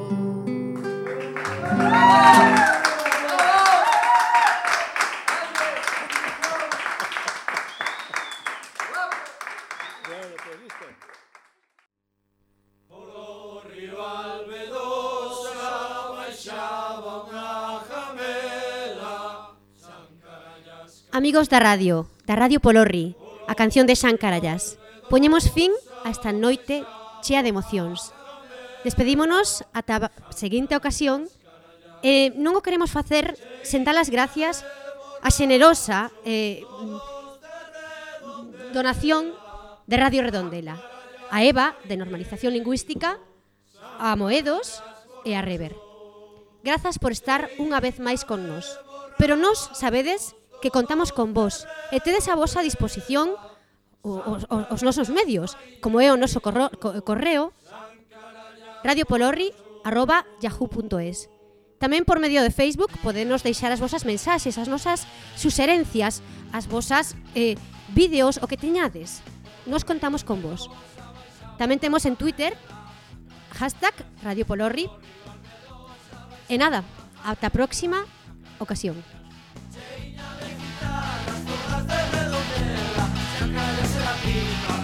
A: Amigos da radio, da Radio Polorri, a canción de Xan Carallás. Poñemos fin a esta noite chea de emocións. Despedímonos ata a seguinte ocasión e non o queremos facer sen dar as gracias a xenerosa eh, donación de Radio Redondela, a Eva, de Normalización Lingüística, a Moedos e a Rever. Grazas por estar unha vez máis con nos. Pero nos sabedes que contamos con vos e tedes a vosa disposición os, os, os nosos medios, como é o noso corro, correo radiopolorri arroba yahoo punto es. Tamén por medio de Facebook podenos deixar as vosas mensaxes, as nosas suxerencias, as vosas eh, vídeos, o que teñades. Nos contamos con vos. Tamén temos en Twitter hashtag radiopolorri. E nada, ata a próxima ocasión.
C: De redondela, Xan Carallás se la pica,